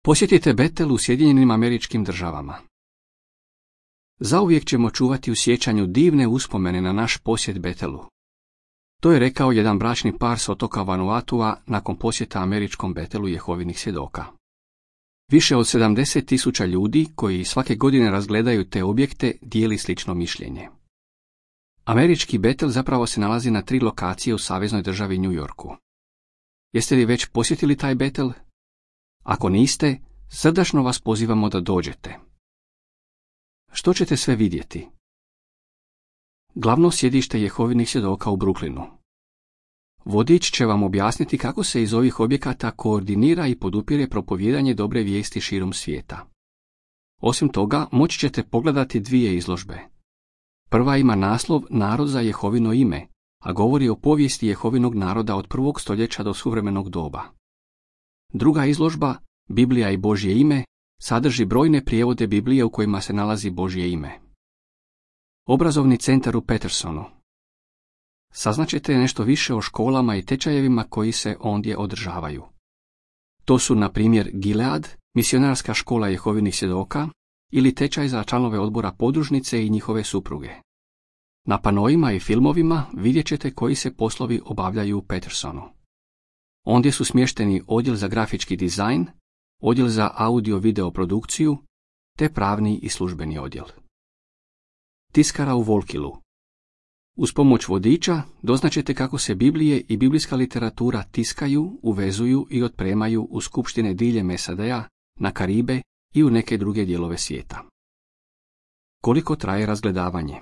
Posjetite Betel u Sjedinjenim Američkim Državama. Zauvijek ćemo čuvati u sjećanju divne uspomene na naš posjet Betelu. To je rekao jedan bračni par s otoka Vanuatua nakon posjeta američkom Betelu Jehovinih svjedoka. Više od 70.000 ljudi koji svake godine razgledaju te objekte dijeli slično mišljenje. Američki Betel zapravo se nalazi na 3 lokacije u saveznoj državi New Yorku. Jeste li već posjetili taj Betel? Ako niste, srdačno vas pozivamo da dođete. Što ćete sve vidjeti? Glavno sjedište Jehovinih svjedoka u Brooklynu. Vodič će vam objasniti kako se iz ovih objekata koordinira i podupire propovijedanje dobre vijesti širom svijeta. Osim toga, moći ćete pogledati 2 izložbe. Prva ima naslov Narod za Jehovino ime, a govori o povijesti Jehovinog naroda od 1. stoljeća do suvremenog doba. Druga izložba, Biblija i Božje ime, sadrži brojne prijevode Biblije u kojima se nalazi Božje ime. Obrazovni centar u Petersonu. Saznaćete nešto više o školama i tečajevima koji se ondje održavaju. To su, na primjer, Gilead, misionarska škola Jehovinih svjedoka, ili tečaj za članove odbora podružnice i njihove supruge. Na panoima i filmovima vidjet ćete koji se poslovi obavljaju u Petersonu. Ondje su smješteni odjel za grafički dizajn, odjel za audio-video produkciju, te pravni i službeni odjel. Tiskara u Volkilu. Uz pomoć vodiča doznaćete kako se Biblije i biblijska literatura tiskaju, uvezuju i otpremaju u skupštine diljem SAD-a, na Karibe i u neke druge dijelove svijeta. Koliko traje razgledavanje?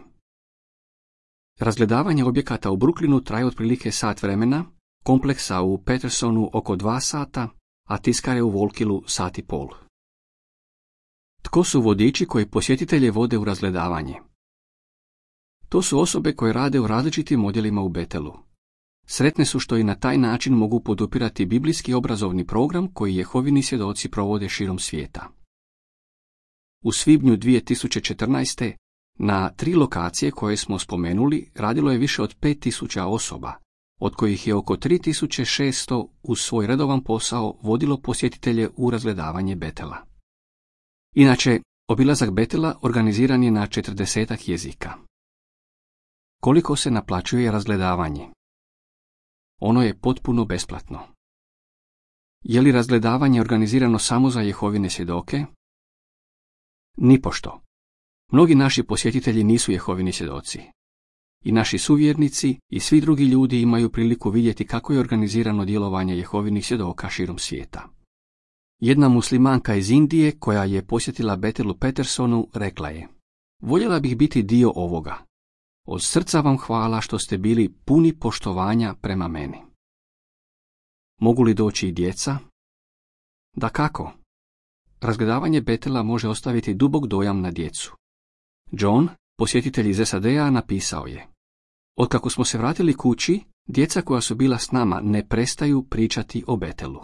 Razgledavanje objekata u Brooklynu traje otprilike sat vremena, kompleksa u Petersonu oko 2 sata, a tiskare u Volkilu 1,5 sata. Tko su vodiči koji posjetitelje vode u razgledavanje? To su osobe koje rade u različitim odjelima u Betelu. Sretne su što i na taj način mogu podupirati biblijski obrazovni program koji Jehovini svjedoci provode širom svijeta. U svibnju 2014. na 3 lokacije koje smo spomenuli radilo je više od 5.000 osoba, od kojih je oko 3.600 uz svoj redovan posao vodilo posjetitelje u razgledavanje Betela. Inače, obilazak Betela organiziran je na 40 jezika. Koliko se naplaćuje razgledavanje? Ono je potpuno besplatno. Je li razgledavanje organizirano samo za Jehovine svjedoke? Nipošto. Mnogi naši posjetitelji nisu Jehovini svjedoci. I naši suvjernici i svi drugi ljudi imaju priliku vidjeti kako je organizirano djelovanje Jehovinih svjedoka širom svijeta. Jedna muslimanka iz Indije koja je posjetila Betel u Petersonu rekla je: voljela bih biti dio ovoga. Od srca vam hvala što ste bili puni poštovanja prema meni. Mogu li doći i djeca? Dakako. Razgledavanje Betela može ostaviti dubok dojam na djecu. John, posjetitelj iz SAD-a, napisao je: otkako smo se vratili kući, djeca koja su bila s nama ne prestaju pričati o Betelu.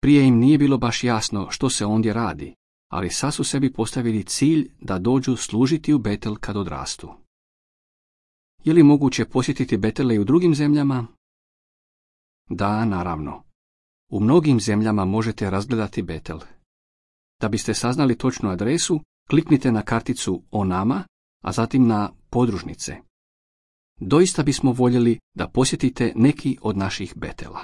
Prije im nije bilo baš jasno što se ondje radi, ali sad su sebi postavili cilj da dođu služiti u Betel kad odrastu. Je li moguće posjetiti Betele i u drugim zemljama? Da, naravno. U mnogim zemljama možete razgledati Betel. Da biste saznali točnu adresu, kliknite na karticu O nama, a zatim na podružnice. Doista bismo voljeli da posjetite neki od naših Betela.